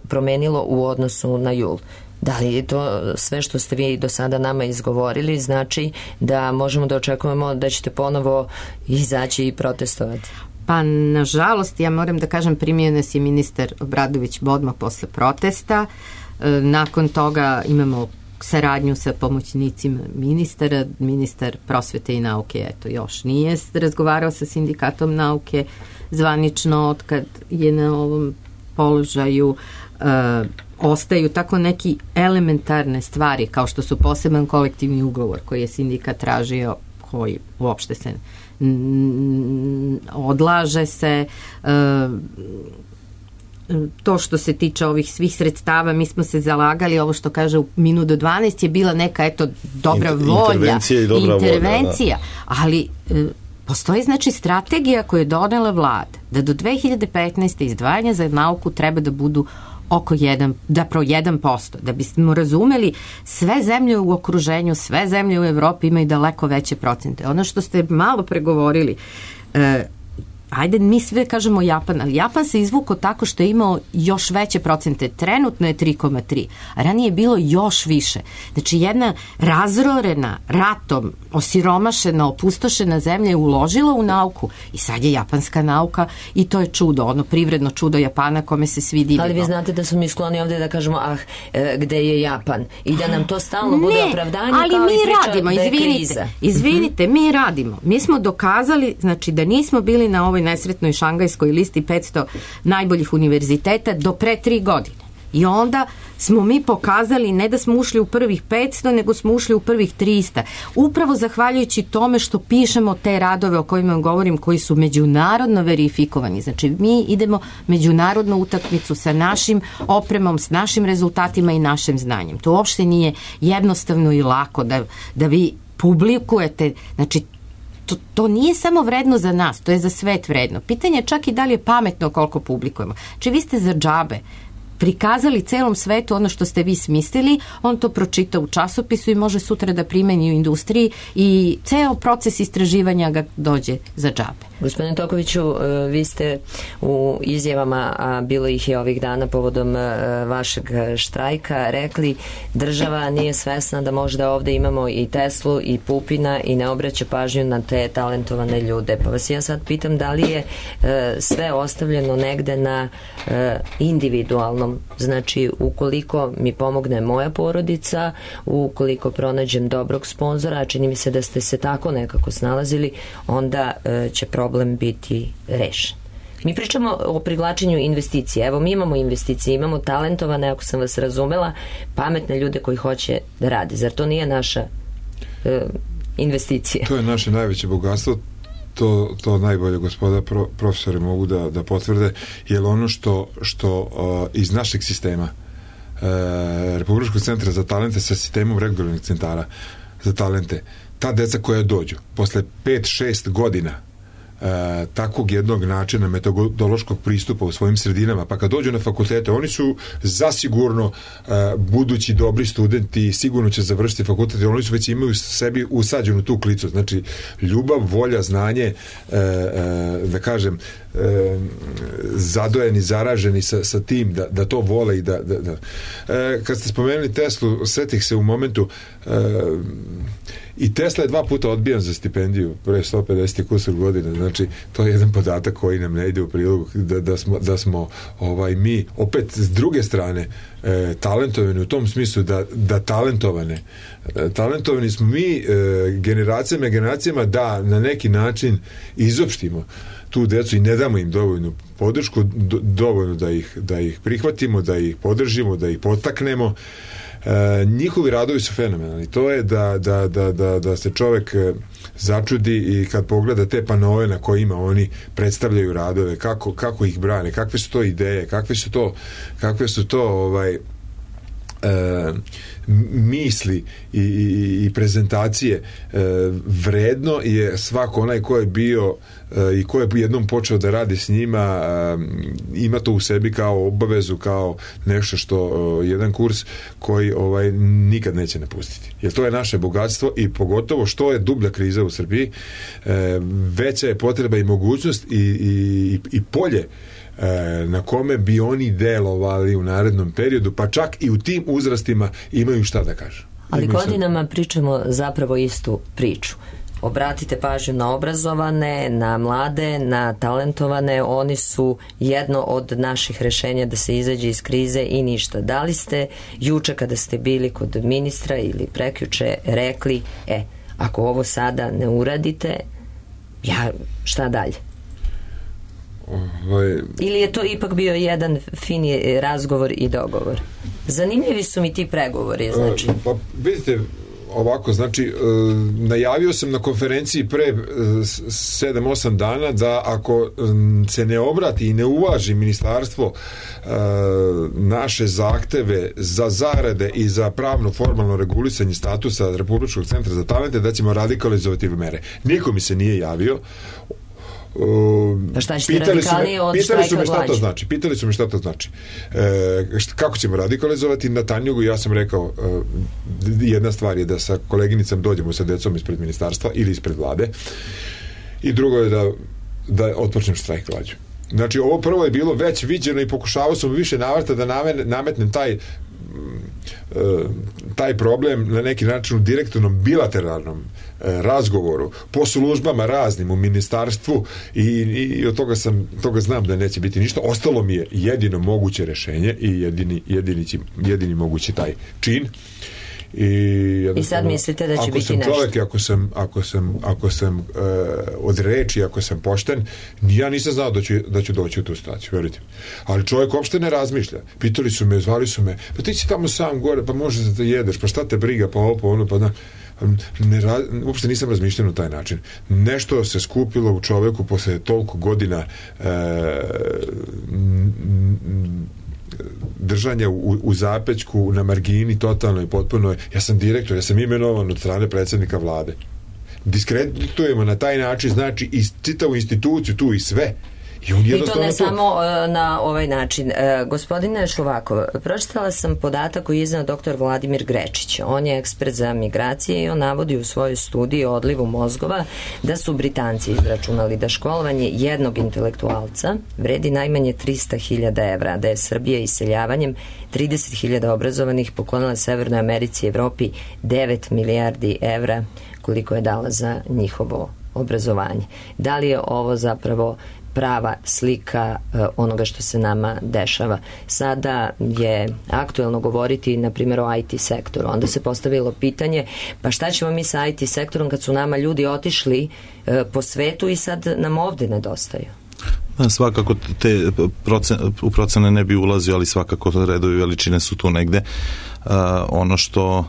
promenilo u odnosu na jul? Da li je to sve što ste vi do sada nama izgovorili znači da možemo da očekujemo da ćete ponovo izaći i protestovati? Pa, nažalost, ja moram da kažem, primio nas je ministar Obradović odmah posle protesta. Nakon toga imamo saradnju sa pomoćnicima ministara. Ministar prosvete i nauke, eto, još nije razgovarao sa sindikatom nauke zvanično otkad je na ovom položaju. Ostaju tako neki elementarne stvari kao što su poseban kolektivni ugovor koji je sindikat tražio, koji uopšte se odlaže se. To što se tiče ovih svih sredstava, mi smo se zalagali, ovo što kaže u minut do 12 je bila neka, eto, dobra volja, intervencija, ali postoji, znači, strategija koju je donela vlada, da do 2015. izdvajanja za nauku treba da budu oko 1%. Da bismo razumeli, sve zemlje u okruženju, sve zemlje u Evropi imaju daleko veće procente. Ono što ste malo pregovorili, ajde, mi sve kažemo Japan, ali Japan se izvukao tako što je imao još veće procente. Trenutno je 3,3, a ranije je bilo još više. Znači, jedna razorena, ratom, osiromašena, opustošena zemlja je uložila u nauku i sad je japanska nauka i to je čudo, ono privredno čudo Japana kome se svi divimo. Ali vi znate da smo mi skloni ovde da kažemo, gde je Japan? I da nam to stalno bude opravdanje ali kao mi i priča radimo, da je kriza. Izvinite, mi radimo. Mi smo dokazali, znači, da nismo bili na ovoj nesretnoj šangajskoj listi 500 najboljih univerziteta do pre 3 godine. I onda smo mi pokazali ne da smo ušli u prvih 500, nego smo ušli u prvih 300. Upravo zahvaljujući tome što pišemo te radove o kojima govorim, koji su međunarodno verifikovani. Znači, mi idemo međunarodnu utakmicu sa našim opremom, s našim rezultatima i našim znanjem. To uopšte nije jednostavno i lako da vi publikujete, znači, to nije samo vredno za nas, to je za svet vredno. Pitanje je čak i da li je pametno koliko publikujemo. Znači, vi ste za džabe prikazali celom svetu ono što ste vi smislili, on to pročita u časopisu i može sutra da primeni u industriji i ceo proces istraživanja ga dođe za džabe. Gospodine Tokoviću, vi ste u izjavama, a bilo ih je ovih dana povodom vašeg štrajka, rekli država nije svesna da možda ovde imamo i Teslu i Pupina i ne obraća pažnju na te talentovane ljude. Pa vas ja sad pitam da li je sve ostavljeno negde na individualnom, znači ukoliko mi pomogne moja porodica, ukoliko pronađem dobrog sponzora, a čini mi se da ste se tako nekako snalazili, onda će problem biti rešen. Mi pričamo o privlačenju investicija. Evo, mi imamo investicije, imamo talentovane, ako sam vas razumela, pametne ljude koji hoće da rade. Zar to nije naša investicije. To je naše najveće bogatstvo. To najbolje gospoda profesori mogu da potvrde, jer ono što iz našeg sistema Republičkog centra za talente sa sistemom regularnih centara za talente, ta deca koja dođu posle 5-6 godina takvog jednog načina metodološkog pristupa u svojim sredinama, pa kad dođu na fakultete, oni su zasigurno budući dobri studenti, sigurno će završiti fakultet, oni su već imaju sebi usađenu tu klicu, znači ljubav, volja, znanje, da kažem, zadojeni, zaraženi sa tim da to vole i da. Kad ste spomenuli Teslu, setih se u momentu i Tesla je 2 puta odbijan za stipendiju pre 150 kusur godina, znači to je jedan podatak koji nam ne ide u prilog da smo mi opet s druge strane talentovani u tom smislu da talentovani smo mi generacijama da na neki način izopštimo tu decu i ne damo im dovoljnu podršku, dovoljno da ih prihvatimo, da ih podržimo, da ih podstaknemo. Njihovi radovi su fenomenalni. To je da se čovek začudi i kad pogleda te panoe na kojima oni predstavljaju radove, kako ih brane, kakve su to ideje, kakve su to misli i prezentacije. Vredno je svako onaj ko je bio i ko je jednom počeo da radi s njima, ima to u sebi kao obavezu, kao nešto što jedan kurs koji nikad neće napustiti. Jer to je naše bogatstvo i pogotovo što je dublja kriza u Srbiji, veća je potreba i mogućnost i polje na kome bi oni delovali u narednom periodu, pa čak i u tim uzrastima imaju šta da kažu. Ali godinama pričamo zapravo istu priču. Obratite pažnju na obrazovane, na mlade, na talentovane, oni su jedno od naših rešenja da se izađe iz krize i ništa. Da li ste juče kada ste bili kod ministra ili prekjuče rekli, ako ovo sada ne uradite, šta dalje? Ili je to ipak bio jedan fini razgovor i dogovor? Zanimljivi su mi ti pregovori, znači. Pa vidite, ovako, znači najavio sam na konferenciji pre 7-8 dana da ako se ne obrati i ne uvaži ministarstvo naše zahteve za zarade i za pravno formalno regulisanje statusa Republičkog centra za talente, da ćemo radikalizovati mere. Niko mi se nije javio. Pa šta ćete radikalnije od štrajka glađu? Pitali su me šta to znači. Kako ćemo radikalizovati? Na Tanjugu ja sam rekao, jedna stvar je da sa koleginicom dođemo sa decom ispred ministarstva ili ispred vlade, i drugo je da otpočnem štrajk glađu. Znači, ovo prvo je bilo već viđeno i pokušavao sam više navrata da nametnem taj problem na neki način u direktnom bilateralnom razgovoru po službama raznim u ministarstvu i od toga znam da neće biti ništa. Ostalo mi je jedino moguće rešenje i jedini mogući taj čin. I sad mislite da će biti nešto? Ako sam od reči, ako sam pošten, ja nisam znao da ću doći u tu situaciju, verujte. Ali čovjek uopšte ne razmišlja. Pitali su me, zvali su me, pa ti si tamo sam gore, pa možeš da te jedeš, pa šta te briga, pa ovo, pa ono, pa uopšte nisam razmišljen na taj način. Nešto se skupilo u čoveku posle toliko godina držanja u zapećku, na margini, totalno i potpuno. Ja sam direktor, ja sam imenovan od strane predsjednika vlade. Diskreditujemo na taj način, znači i čitavu instituciju tu i sve. I to ne samo na ovaj način. Gospodine Šuvakov, pročitala sam podatak koji je iznao dr. Vladimir Grečić. On je ekspert za migracije i on navodi u svojoj studiji o odlivu mozgova da su Britanci izračunali da školovanje jednog intelektualca vredi najmanje 300.000 evra, da je Srbija iseljavanjem 30.000 obrazovanih poklonila Severnoj Americi i Evropi 9 milijardi evra koliko je dala za njihovo obrazovanje. Da li je ovo zapravo prava slika onoga što se nama dešava? Sada je aktuelno govoriti na primjer o IT sektoru. Onda se postavilo pitanje, pa šta ćemo mi sa IT sektorom kad su nama ljudi otišli po svetu i sad nam ovde nedostaju? Svakako u procene ne bi ulazio, ali svakako redovi veličine su tu negde. Ono što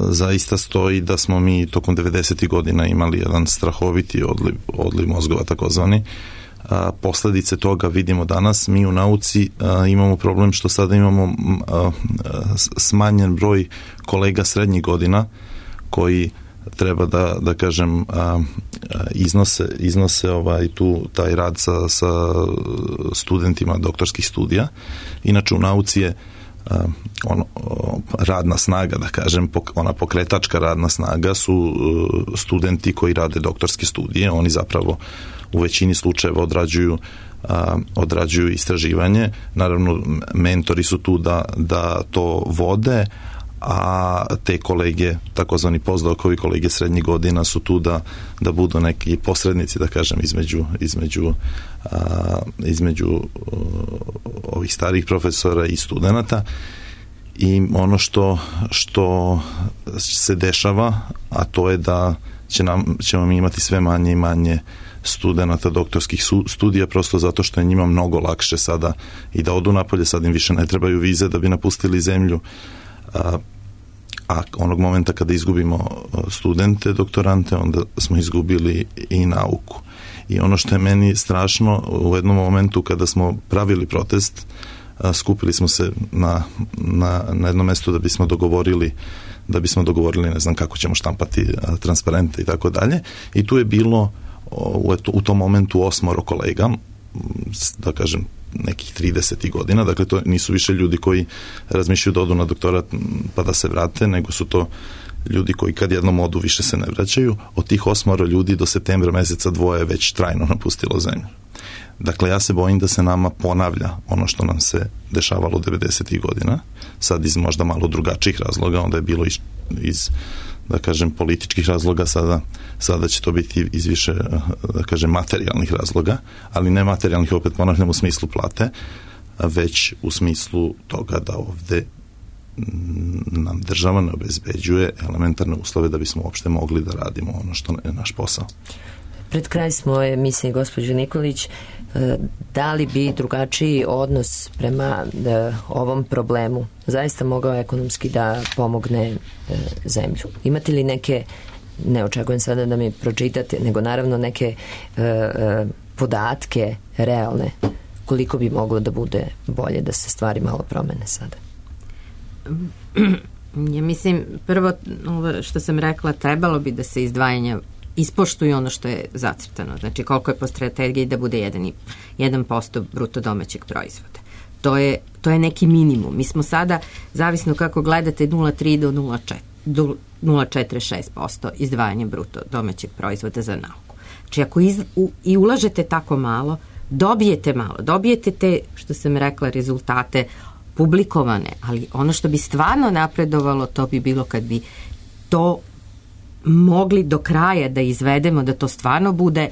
zaista stoji da smo mi tokom 90. godina imali jedan strahoviti odliv mozgova takozvani. Posledice toga vidimo danas. Mi u nauci imamo problem što sada imamo smanjen broj kolega srednjih godina koji treba da kažem iznose taj rad sa studentima doktorskih studija. Inače u nauci je radna snaga, da kažem, ona pokretačka radna snaga su studenti koji rade doktorske studije. Oni zapravo u većini slučajeva odrađuju istraživanje. Naravno, mentori su tu da to vode, a te kolege, takozvani postdokovi, kolege srednjih godina su tu da budu neki posrednici, da kažem, između ovih starih profesora i studenata. I ono što se dešava, a to je da ćemo mi imati sve manje i manje studenata doktorskih studija, prosto zato što je njima mnogo lakše sada i da odu napolje, sad im više ne trebaju vize da bi napustili zemlju, a onog momenta kada izgubimo studente, doktorante, onda smo izgubili i nauku. I ono što je meni strašno, u jednom momentu kada smo pravili protest, skupili smo se na jednom mjestu da bismo dogovorili, ne znam kako ćemo štampati transparente i tako dalje. I tu je bilo u tom momentu 8 kolega, da kažem, nekih 30 godina, dakle to nisu više ljudi koji razmišljaju da odu na doktorat pa da se vrate, nego su to ljudi koji kad jednom odu više se ne vraćaju. Od tih 8 ljudi do septembra meseca 2 je već trajno napustilo zemlju. Dakle, ja se bojim da se nama ponavlja ono što nam se dešavalo 90. godina, sad iz možda malo drugačijih razloga, onda je bilo iz da kažem, političkih razloga, sada će to biti iz više, da kažem, materijalnih razloga, ali ne materijalnih, opet ponavljam, u smislu plate, već u smislu toga da ovde nam država ne obezbeđuje elementarne uslove da bismo uopšte mogli da radimo ono što je naš posao. Pred kraj smo emisije, gospođo Nikolić, da li bi drugačiji odnos prema ovom problemu zaista mogao ekonomski da pomogne zemlju? Imate li neke, ne očekujem sada da mi pročitate, nego naravno neke podatke realne, koliko bi moglo da bude bolje da se stvari malo promene sada? Ja mislim, prvo što sam rekla, trebalo bi da se izdvajanja ispoštuju ono što je zacrtano. Znači, koliko je po strategiji da bude 1% bruto domaćeg proizvoda. To je neki minimum. Mi smo sada, zavisno kako gledate, 0,3 do 0,46% izdvajanja bruto domaćeg proizvoda za nauku. Znači, ako i ulažete tako malo, dobijete te, što sam rekla, rezultate publikovane, ali ono što bi stvarno napredovalo, to bi bilo kad bi to mogli do kraja da izvedemo, da to stvarno bude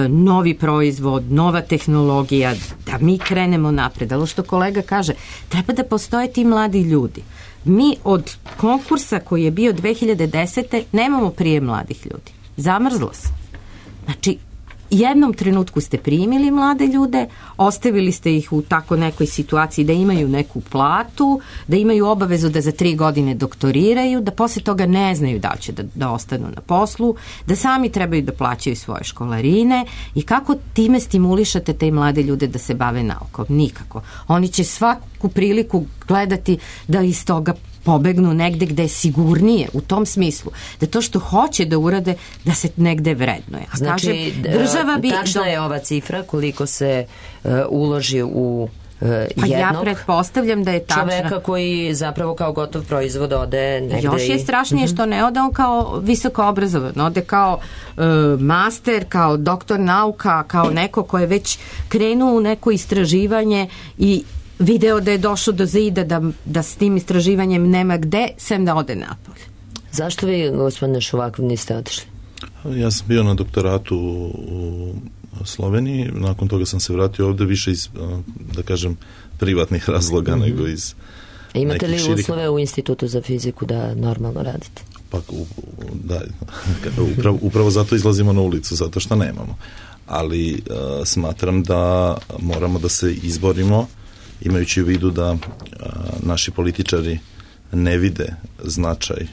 novi proizvod, nova tehnologija, da mi krenemo napred. Ali što kolega kaže, treba da postoje ti mladi ljudi. Mi od konkursa koji je bio 2010. nemamo prijem mladih ljudi. Zamrzlo se. Znači, jednom trenutku ste primili mlade ljude, ostavili ste ih u tako nekoj situaciji da imaju neku platu, da imaju obavezu da za 3 godine doktoriraju, da posle toga ne znaju da će da ostanu na poslu, da sami trebaju da plaćaju svoje školarine. I kako time stimulišate te mlade ljude da se bave naukom? Nikako. Oni će svaku priliku gledati da iz toga pobegnu negde gde je sigurnije, u tom smislu, da to što hoće da urade, da se negde vrednuje. Znači, tačna je ova cifra koliko se uloži u jednog ja pretpostavljam da je tačna. Čoveka koji zapravo kao gotov proizvod ode negde. Još je strašnije što ne ode on kao visoko obrazovan, ode kao master, kao doktor nauka, kao neko ko je već krenuo u neko istraživanje i video da je došao do zida, da s tim istraživanjem nema gde, sem da ode napolje. Zašto vi, gospodine Šuvakov, niste otišli? Ja sam bio na doktoratu u Sloveniji, nakon toga sam se vratio ovde više iz, da kažem, privatnih razloga nego iz Imate li uslove u Institutu za fiziku da normalno radite? Pa, da, upravo zato izlazimo na ulicu, zato što nemamo. Ali smatram da moramo da se izborimo, imajući u vidu da naši političari ne vide značaj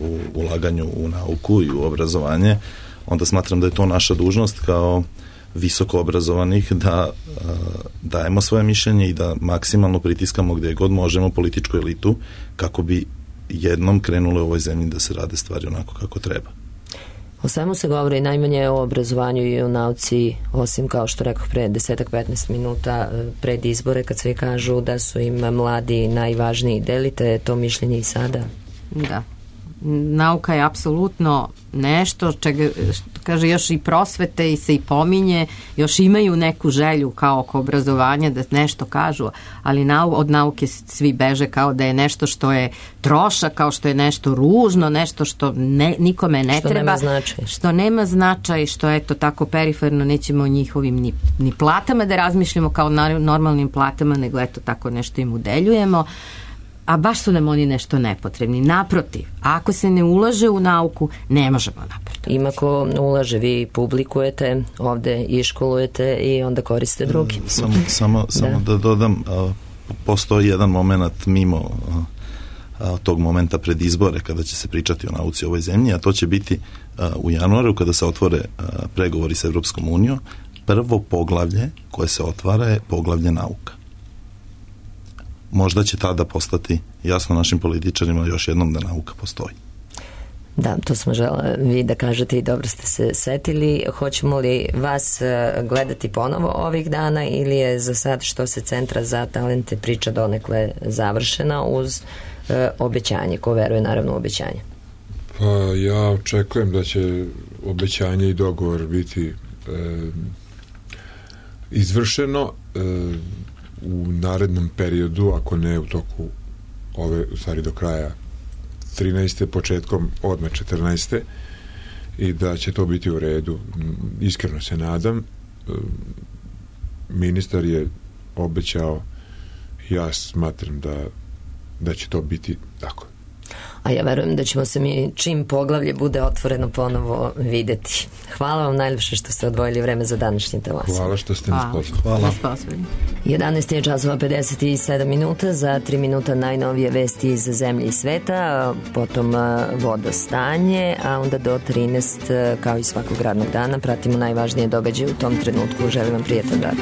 u ulaganju u nauku i u obrazovanje, onda smatram da je to naša dužnost kao visoko obrazovanih da dajemo svoje mišljenje i da maksimalno pritiskamo gde god možemo političku elitu kako bi jednom krenule u ovoj zemlji da se rade stvari onako kako treba. O svemu se govori najmanje o obrazovanju i o nauci, osim kao što rekao pre 10-15 minuta pred izbore kad svi kažu da su im mladi najvažniji. Delite to mišljenje i sada? Da. Nauka je apsolutno nešto čega, kaže, još i prosvete i se i pominje, još imaju neku želju kao oko obrazovanja da nešto kažu, ali od nauke svi beže kao da je nešto što je trošak, kao što je nešto ružno, nešto što nikome ne što treba. Što nema značaj. Što eto tako periferno nećemo o njihovim ni platama da razmišljamo kao normalnim platama, nego eto tako nešto im udeljujemo. A baš su nam oni nešto nepotrebni. Naprotiv, ako se ne ulaže u nauku, ne možemo napredovati. Ima ko ulaže, vi publikujete, ovde iškolujete i onda koriste drugi. Samo da dodam, postoji jedan moment mimo tog momenta pred izbore kada će se pričati o nauci u ovoj zemlji, a to će biti u januaru kada se otvore pregovori s Evropskom unijom. Prvo poglavlje koje se otvara je poglavlje nauka. Možda će tada postati jasno našim političarima još jednom da nauka postoji. Da, to smo žele vi da kažete i dobro ste se setili. Hoćemo li vas gledati ponovo ovih dana ili je za sad što se Centra za talente priča donekle završena uz obećanje? Ko veruje naravno u obećanje? Pa ja očekujem da će obećanje i dogovor biti izvršeno u narednom periodu, ako ne u toku ove, u stvari do kraja 13. početkom odmah 14. i da će to biti u redu. Iskreno se nadam. Ministar je obećao, ja smatram da će to biti tako. A ja verujem da ćemo se mi čim poglavlje bude otvoreno ponovo videti. Hvala vam najljepše što ste odvojili vreme za današnji talas. Hvala što ste nas pozvali. Hvala. 11 je časova 57 minuta, za 3 minuta najnovije vesti iz zemlje i sveta, potom vodostanje, a onda do 13 kao i svakog radnog dana pratimo najvažnije događaje u tom trenutku. Želim vam prijetan dan.